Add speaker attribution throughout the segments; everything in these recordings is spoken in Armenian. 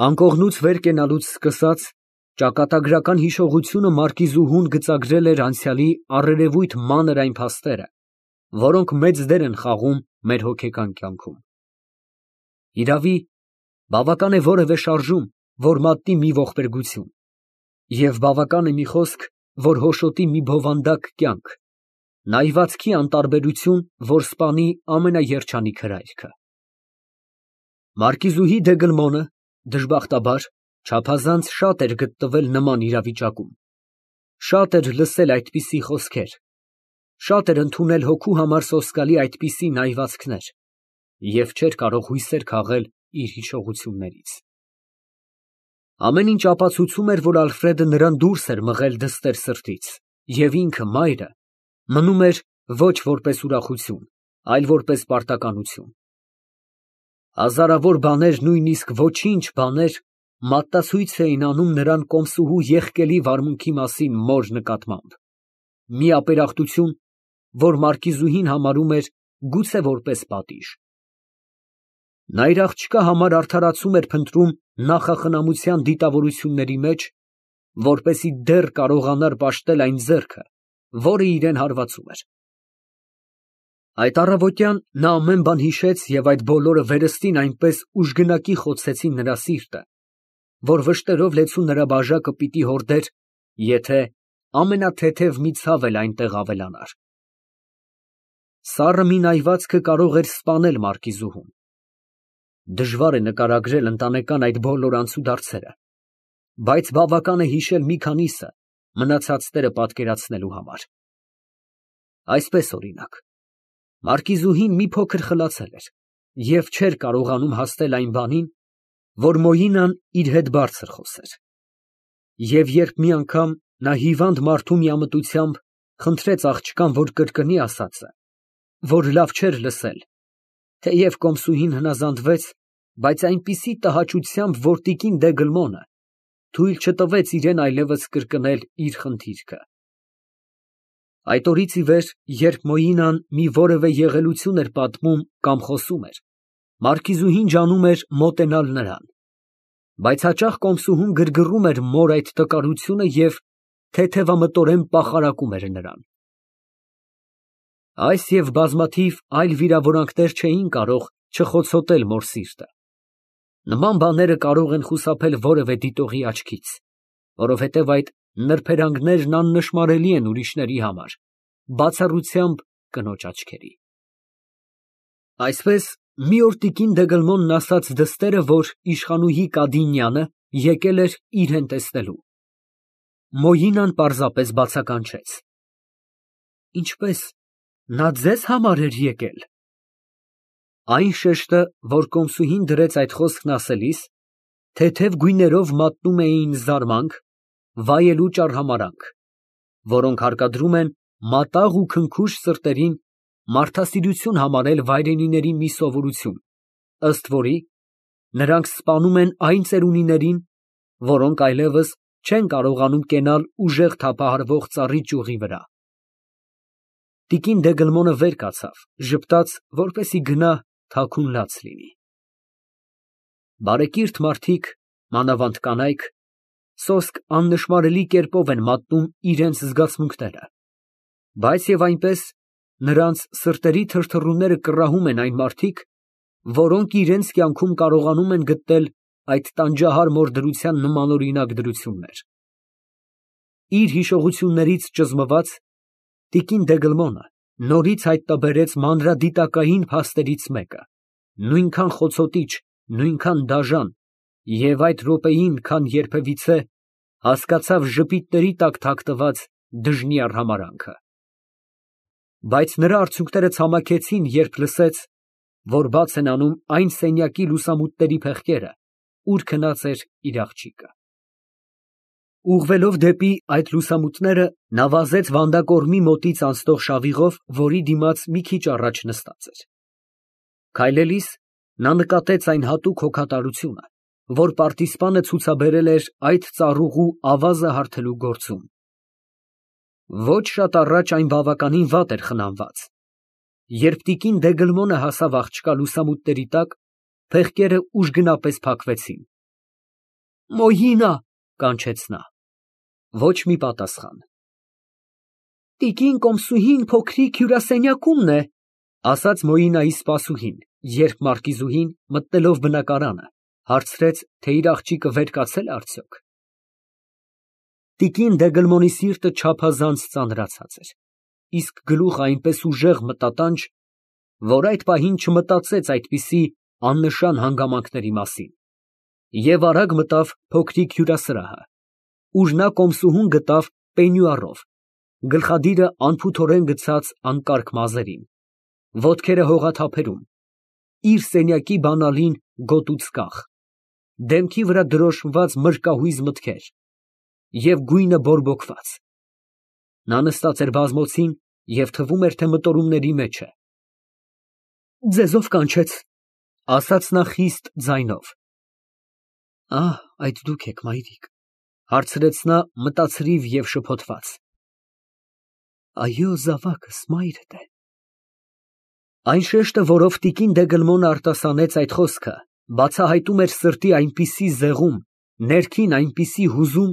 Speaker 1: Անկողնուց վեր կենալուց սկսած, ճակատագրական հիշողությունը մարկիզուհուն գծագրել էր անցյալի առերևույթ մանր այն փաստերը, որոնք մեծ դեր են խաղում մեր հոգեկան կյանքում։ Իրավի, բավական է որևէ շարժում, որ մատնի մի ողբերգություն, և բավական է մի խոսք, որ հոշոտի մի բովանդակ կյանք, նայվածքի անտարբերություն, որ սպանի ամենաերջանիկ հրայքը։ Մարկիզուհի Դեգլմոնը, դժբախտաբար, չափազանց շատ էր գտնվել նման իրավիճակում, շատ էր լսել այդպիսի խոսքեր, շատ էր ընդունել հոգու համար սոսկալի այդպիսի նայվածքներ և չէր կարող հույսեր քաղել իր հիշողություններից։ Ամեն ինչ ապացուցում էր, որ Ալֆրեդը նրան դուրս էր մղել դստեր սրտից, և ինքը, մայրը, մնում էր ոչ որպես ուրախություն, այլ որպես պարտականություն։ Հազարավոր բաներ, նույնիսկ ոչինչ բաներ մատնացույց էին անում նրան կոմսուհու եղկելի վարմունքի մասին մոր նկատմամբ, մի ապերախտություն, որ մարկիզուհին համարում էր գուցե որպես պատիժ։ Նա իր աղջկա համար արդարացում էր փնտրում նախախնամության դիտավորությունների մեջ, որպեսզի դեռ կարողանար պաշտել այն ձեռքը, որը իրան հարվածում էր։ Այդ առավոտյան նա ամեն բան հիշեց և այդ բոլորը վերստին այնպես ուժգնակի խոցեցին նրա սիրտը, որ վշտերով լեցուն նրա բաժակը պիտի հորդեր, եթե ամենաթեթև մի ցավ էլ այնտեղ ավելանար։ Սառը մի նայվածքը կարող էր սպանել մարկիզուհուն։ Դժվար է նկարագրել ընտանեկան այդ բոլոր անցուդարձերը, բայց բավական է հիշել մի քանիսը մնացածները պատկերացնելու համար։ Այսպես, օրինակ, մարկիզուհին մի փոքր խլացել էր և չէր կարողանում հասնել այն բանին, որ Մոյինան իր հետ բարձր խոսեր։ Եվ երբ մի անգամ նա հիվանդ մարդու միամտությամբ խնդրեց աղջկան, որ կրկնի ասածը, որ լավ չէր լսել, թեև կոմսուհին հնազանդվեց, բայց այնպիսի տհաճությամբ, որ տիկին Դեգլմոնը թույլ չտվեց իրան այլևս կրկնել իր խնդիրքը։ Այդ օրից ի վեր, երբ Մոյինան մի որևէ եղելություն էր պատմում կամ խոսում էր, մարկիզուհին ջանում էր մոտենալ նրան, բայց հաճախ կոմսուհուն գրգռում էր մոր այդ տկարությունը և թեթևամտորեն պախարակում էր նրան։ Այս և բազմաթիվ այլ վիրավորանքներ չէին կարող չխոցոտել մոր սիրտը։ Նման բաները կարող են խուսափել որևէ դիտողի աչքից, որովհետև այդ նրբերանգներն աննշմարելի են ուրիշների համար, բացառությամբ կնոջ աչքերի։ Այսպես, մի օր տիկին Դեգլմոնն ասաց դստերը, որ իշխանուհի Կադինյանը եկել էր իրան տեսնելու։ Մոյինան պարզապես բացականչեց. Ինչպե՞ս, նա ձեզ համար էր եկել։ Այն շեշտը, որ կոմսուհին դրեց այդ խոսքն ասելիս, թեթև գույներով մատնում էին զարմանք, վայելուչ արհամարհանք, որոնք հարկադրում են մատաղ ու քնքուշ սրտերին մարդասիրություն համարել վայրենիների մի սովորություն, ըստ որի նրանք սպանում են այն ծերունիներին, որոնք այլևս չեն կարողանում կենալ ուժեղ թափահարվող ծառի ճյուղի վրա։ Տիկին Դեգլմոնը վեր կացավ, ժպտաց, որպեսզի գնա թաքուն լաց լինի։ Բարեկիրթ մարդիկ, մանավանդ կանայք, սոսկ աննշմարելի կերպով են մատնում իրենց զգացմունքները, բայց և այնպես նրանց սրտերի թրթռումները կռահում են այն մարդիկ, որոնք իրենց կյանքում կարողանում են գտնել այդ տանջահար մոր դրության նմանօրինակ դրություններ։ Իր հիշողություններից ճզմված, տիկին Դեգլմոնը նորից հայտնաբերեց մանրադիտակային փաստերից մեկը, նույնքան խոցոտիչ, նույնքան դաժան, և այդ րոպեին, քան երբևիցե, հասկացավ ժպիտների տակ թաքնված դժնի արհամարհանքը։ Բայց նրա արցունքները ցամաքեցին, երբ լսեց, որ բաց են անում այն սենյակի լուսամուտների փեղկերը, ուր քնած էր իր աղջիկը։ Ուղղվելով դեպի այդ լուսամուտները, նա վազեց վանդակորմի մոտից անցնող շավիղով, որի դիմաց մի քիչ առաջ նստած էր։ Քայլելիս նա նկատեց այն հատուկ հոգատարությունը, որ պարտիզպանը ցուցաբերել էր այդ ծառուղու ավազը հարթելու գործում։ Ոչ շատ առաջ այն բավականին վատ էր խնամված։ Երբ տիկին Դեգլմոնը հասավ աղջկա լուսամուտների տակ, փեղկերը ուժգնապես փակվեցին։ Մոյինա, կանչեց նա։ Ոչ մի պատասխան։ Տիկին Կոմսուհին փոքրիկ հյուրասենյակումն է, ասաց Մոյինայի սպասուհին, երբ մարկիզուհին, մտնելով բնակարանը, հարցրեց, թե իր աղջիկը վեր կացել է արդյոք։ Տիկին Դեգլմոնի սիրտը չափազանց ծանրացած էր, իսկ գլուխը այնպես ուժեղ մտատանջ, որ այդ պահին չմտածեց այդպիսի աննշան հանգամանքների մասին, և արագ մտավ փոքրիկ հյուրասրահը, ուր նա Կոմսուհուն գտավ պենյուարով, գլխադիրը անփութորեն գցած անկարգ մազերին, ոտքերը հողաթափերում, իր սենյակի բանալին գոտուց կախ, դեմքի վրա դրոշմված մրկահույզ մտքեր և գույնը բորբոքված։ Նա նստած էր բազմոցին և թվում էր, թե մտորումների մեջ է։ Ձեզով կանչեց, ասաց նա խիստ ձայնով։ Այդ դուք եք, մայրիկ, հարցրեց նա մտացրիվ և շփոթված։ Այո, զավակս, մայրդ է։ Այն շեշտը, որով տիկին Դեգլմոնը արտասանեց այդ խոսքը, բացահայտում էր սրտի այնպիսի զեղում, ներքին այնպիսի հուզում,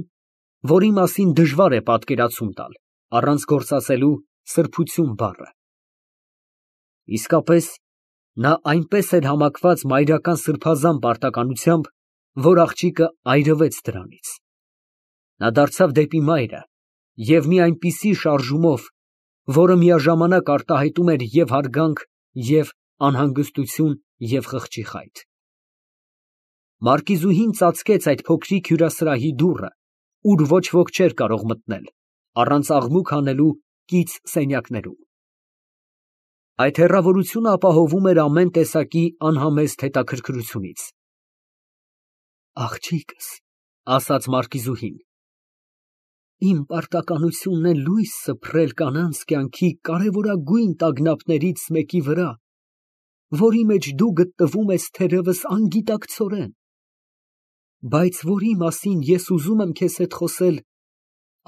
Speaker 1: որի մասին դժվար է պատկերացում տալ, առանց գործածելու սրբություն բառը։ Իսկապես, նա այնպես էր համակված մայրական սրբազան պարտականությամբ, որ աղջիկը այրվեց դրանից։ Նա դարձավ դեպի մայրը և մի այնպիսի շարժումով, որը միաժամանակ արտահայտում էր և հարգանք, և անհանգստություն և խղճի խայթ։ Մարկիզուհին ծածկեց այդ փոքրիկ հյուրասրահի դուռը, ուր ոչ ոք չէր կարող մտնել, առանց աղմուկ հանելու կից սենյակներում։ Այդ հեռավորությունը ապահովում էր ամեն տեսակի անհամեստ հետաքրքրությունից։ Աղջիկս, ասաց մարկիզուհին, իմ պարտականությունն է լույս սփռել կանանց կյանքի կարևորագույն տագնապներից մեկի վրա, որի մեջ դու գտնվում ես թերևս անգիտակցորեն, բայց որի մասին ես ուզում եմ քեզ հետ խոսել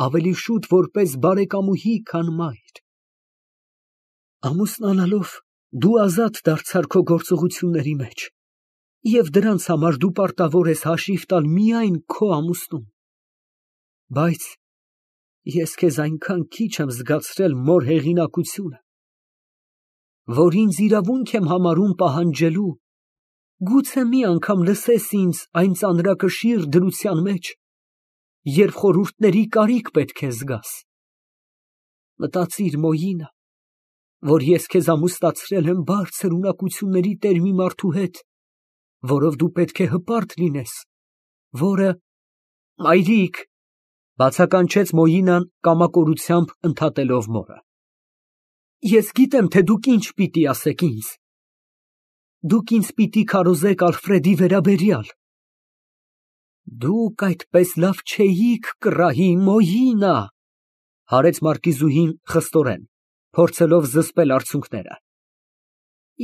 Speaker 1: ավելի շուտ որպես բարեկամուհի, քան մայր։ Ամուսնանալով դու ազատ դարձար քո գործողությունների մեջ, և դրանց համար դու պարտավոր ես հաշիվ տալ միայն քո ամուսնուն։ Բայց ես քեզ այնքան քիչ եմ զգացրել մոր հեղինակությունը, որ ինձ իրավունք եմ համարում պահանջելու, գուցե մի անգամ լսես ինձ այն ծանրակշիռ դրության մեջ, երբ խորհուրդների կարիք պետք է զգաս։ Մտածիր, Մոյինա, որ ես քեզ ամուսնացրել եմ բարձր ունակությունների տեր մի մարդու հետ, որով դու պետք է հպարտ լինես, որը… Մայրիկ, բացականչեց Մոյինան կամակորությամբ ընդհատելով մորը, ես գիտեմ, թե դուք ինչ պիտի ասեք ինձ։ Դուք ինձ պիտի քարոզեք Ալֆրեդի վերաբերյալ։ Դուք այդպես լավ չէիք կռահի, Մոյինա, հարեց մարկիզուհին խստորեն, փորձելով զսպել արցունքները։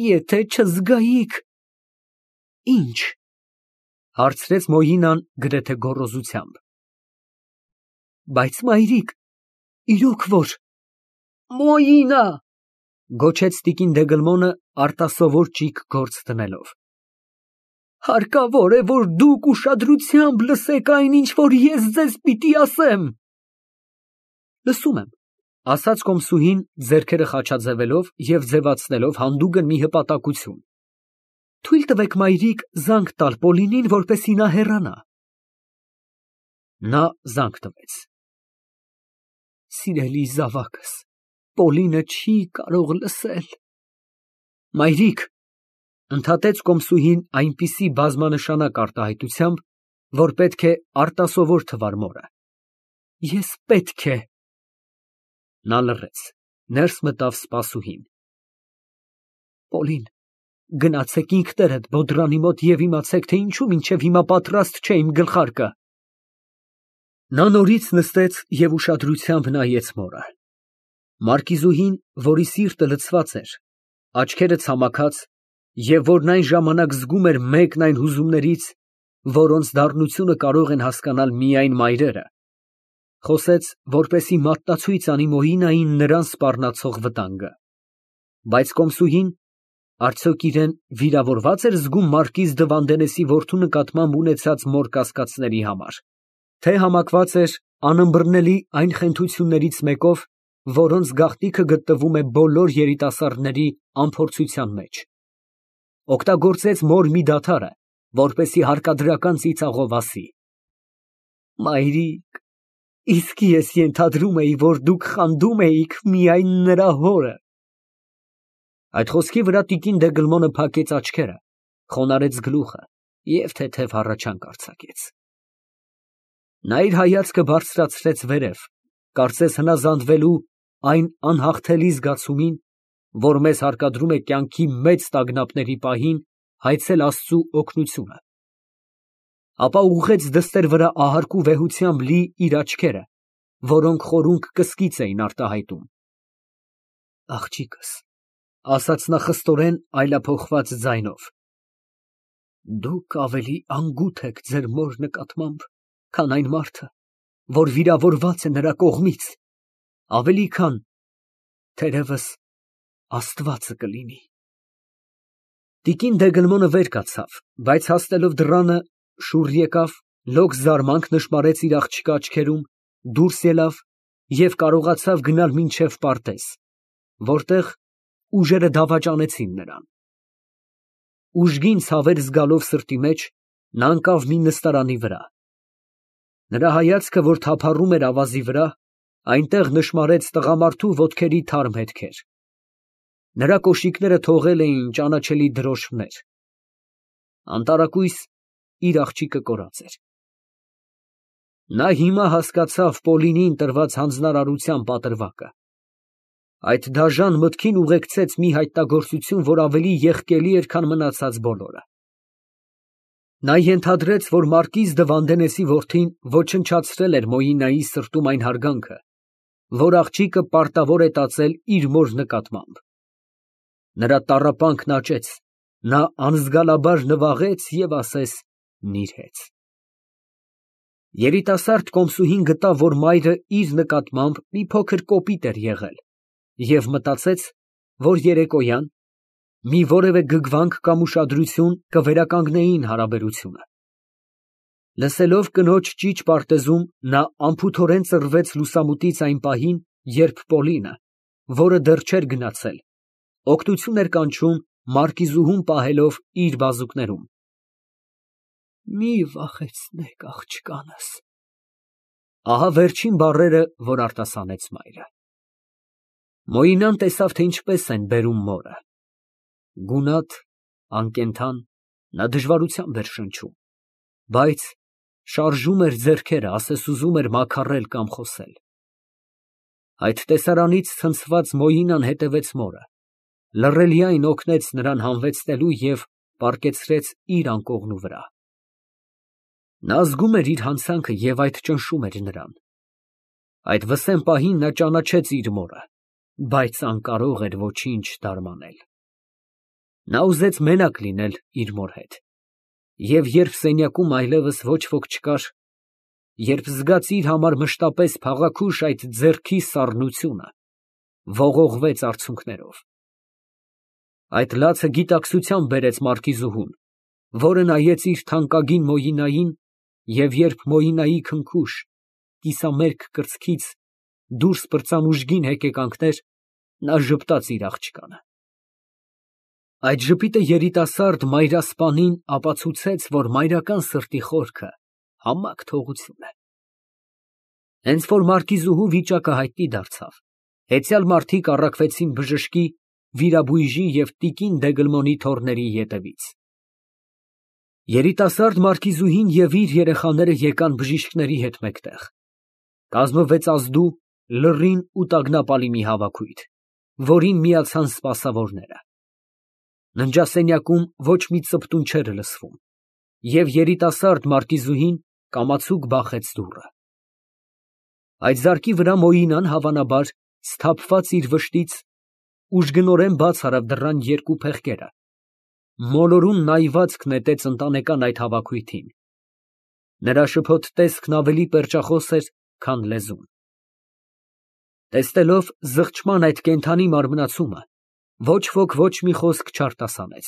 Speaker 1: Եթե չզգայիք… Ինչ, հարցրեց Մոյինան գրեթե գոռոզությամբ։ Բայց մայրիկ, իրոք որ… Մոյինա, գոչեց տիկին Դեգլմոնը արտասովոր ճիգ գործ դնելով։ Հարկավոր է, որ դուք ուշադրությամբ լսեք այն, ինչ որ ես ձեզ պիտի ասեմ։ Լսում եմ, ասաց Կոմսուհին, ձեռքերը խաչաձևելով և ձևացնելով հանդուգն մի հպատակություն։ Թույլ տվեք, մայրիկ, զանգ տալ Պոլինին, որպեսզի նա հեռանա։ Նա զանգ տվեց։ Սիրելի զավակս, Պոլինը չի կարող լսել։ Մայրիկ, ընդհատեց Կոմսուհին այնպիսի բազմանշանակ արտահայտությամբ, որ պետք է արտասովոր թվար մորը, ես պետք է… Նա լռեց, ներս մտավ սպասուհին։ Պոլին, գնացեք ինքներդ բոդրանի մոտ և իմացեք, թե ինչու մինչև հիմա պատրաստ չէ իմ գլխարկը։ Նա նորից նստեց և ուշադրությամբ նայեց մորը։ Մարկիզուհին, որի սիրտը լցված էր, աչքերը ցամաքած, և որն այն ժամանակ զգում էր մեկն այն հուզումներից, որոնց դառնությունը կարող են հասկանալ միայն մայրերը, խոսեց, որպեսզի մատնացույց անի Մոյինային նրան սպառնացող վտանգը։ Բայց Կոմսուհին, Արդյոք իրեն վիրավորված էր զգում մարկիզ դը Վանդենեսի որդու նկատմամբ ունեցած մոր կասկածների համար, թե համակված էր անըմբռնելի այն խենթություններից մեկով, որոնց գաղտնիքը գտնվում է բոլոր երիտասարդների անփորձության մեջ, օգտագործեց մոր մի դադարը, որպեսի հարկադրական ծիծաղով ասի. «Մայրիկ, իսկ ես ենթադրում էի, որ դուք խանդում էիք միայն նրա հորը»։ Այդ խոսքի վրա տիկին Դեգլմոնը փակեց աչքերը, խոնարհեց գլուխը և թեթև հառաչանք արձակեց։ Նա իր հայացքը բարձրացրեց վերև, կարծես հնազանդվելու այն անհաղթելի զգացումին, որ մեզ հարկադրում է կյանքի մեծ տագնապների պահին հայցել Աստծու օգնությունը, ապա ուղղեց դստեր վրա ահարկու վեհությամբ լի իր աչքերը, որոնք խորունկ կսկիծ էին արտահայտում։ Աղջիկս, ասաց նա խստորեն այլափոխված ձայնով, դուք ավելի անգութ եք ձեր մոր նկատմամբ, քան այն մարդը, որ վիրավորված է նրա կողմից, ավելի քան, թերևս, Աստվածը կլինի։ Տիկին Դեգլմոնը վեր կացավ, բայց հասնելով դռանը, շուռ եկավ, լոկ զարմանք նշմարեց իր աղջկա աչքերում, դուրս ելավ և կարողացավ գնալ մինչև պարտեզ, որտեղ ուժերը դավաճանեցին նրան։ Ուժգին ցավեր զգալով սրտի մեջ, նա ընկավ մի նստարանի վրա։ Նրա հայացքը, որ թափառում էր ավազի վրա, այնտեղ նշմարեց տղամարդու ոտքերի թարմ հետքեր։ Նրա կոշիկները թողել էին ճանաչելի դրոշմներ։ Անտարակույս իր աղջիկը կորած էր։ Նա հիմա հասկացավ Պոլինին տրված հանձնարարության պատրվակը։ Այդ դաժան մտքին ուղեկցեց մի հայտնագործություն, որ ավելի եղկելի էր, քան մնացած բոլորը։ Նա ենթադրեց, որ մարկիզ դը Վանդենեսի որդին ոչնչացրել էր Մոյինայի սրտում այն հարգանքը, որ աղջիկը պարտավոր է տածել իր մոր նկատմամբ։ Նրա տառապանքն աճեց, նա անզգալաբար նվաղեց և ասես նիրհեց։ Երիտասարդ կոմսուհին գտավ, որ մայրը իր նկատմամբ մի փոքր կոպիտ էր եղել և մտածեց, որ երեկոյան մի որևէ գգվանք կամ ուշադրություն կվերականգնեին հարաբերությունը։ Լսելով կնոջ ճիչ պարտեզում, նա անփութորեն ծռվեց լուսամուտից այն պահին, երբ Պոլինը, որը դեռ չէր գնացել, օգնություն էր կանչում մարկիզուհուն պահելով իր բազուկներում։ Մի վախեցնեք աղջկանս, ահա վերջին բառերը, որ արտասանեց մայրը։ Մոյինան տեսավ, թե ինչպես են բերում մորը։ Գունատ, անկենդան, նա դժվարությամբ էր շնչում, բայց շարժում էր ձեռքերը, ասես ուզում էր մաքառել կամ խոսել։ Այդ տեսարանից ցնցված Մոյինան հետևեց մորը, լռելիայն օգնեց նրան հանվեցնելու և պառկեցրեց իր անկողնու վրա։ Նա զգում էր իր հանցանքը և այդ ճնշում էր նրան։ Այդ վսեմ պահին նա ճանաչեց իր մորը, բայց անկարող էր ոչինչ դարմանել։ Նա ուզեց մենակ լինել իր մոր հետ, և երբ սենյակում այլևս ոչ ոք չկար, երբ զգաց իր համար մշտապես փաղաքուշ այդ ձեռքի սառնությունը, ողողվեց արցունքներով։ Այդ լացը գիտակցությամբ բերեց մարկիզուհուն, որը նայեց իր թանկագին Մոյինային, և երբ Մոյինայի քնքուշ, կիսամերկ կրծքից դուրս պրծան ուժգին հեկեկանքներ, նա ժպտաց իր աղջկանը։ Այդ ժպիտը երիտասարդ մայրասպանին ապացուցեց, որ մայրական սրտի խորքը համակ թողություն է։ Հենց որ մարկիզուհու վիճակը հայտնի դարձավ, հեծյալ մարդիկ առաքվեցին բժշկի, վիրաբույժի և տիկին Դեգլմոնի թոռների ետևից։ Երիտասարդ մարկիզուհին և իր երեխաները եկան բժիշկների հետ մեկտեղ։ Կազմվեց ազդու, լռին ու տագնապալի մի հավաքույթ, որին միացան սպասավորները։ Ննջասենյակում ոչ մի ծպտուն չէր լսվում, և երիտասարդ մարկիզուհին կամացուկ բախեց դուռը։ Այդ զարկի վրա Մոյինան, հավանաբար, սթափված իր վշտից, ուժգնորեն բաց արավ դռան երկու փեղկերը, մոլորուն նայվածք նետեց ընտանեկան այդ հավաքույթին։ Նրա շփոթ տեսքն ավելի պերճախոս էր, քան լեզուն։ Տեսնելով զղջման այդ կենդանի մարմնացումը, Ոչ ոք ոչ մի խոսք չարտասանեց։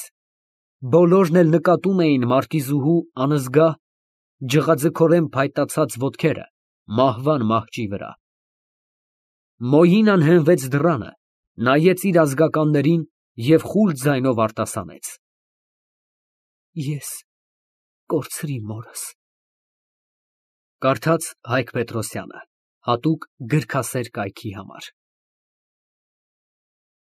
Speaker 1: Բոլորն էլ նկատում էին մարկիզուհու անզգա, ջղաձգորեն փայտացած ոտքերը մահվան մահճի վրա։ Մոյինան հենվեց դռանը, նայեց իր ազգականներին և խուլ ձայնով արտասանեց. Ես կորցրի մորս։ Կարդաց Հայկ Պետրոսյանը, հատուկ գրքասեր կայքի համար։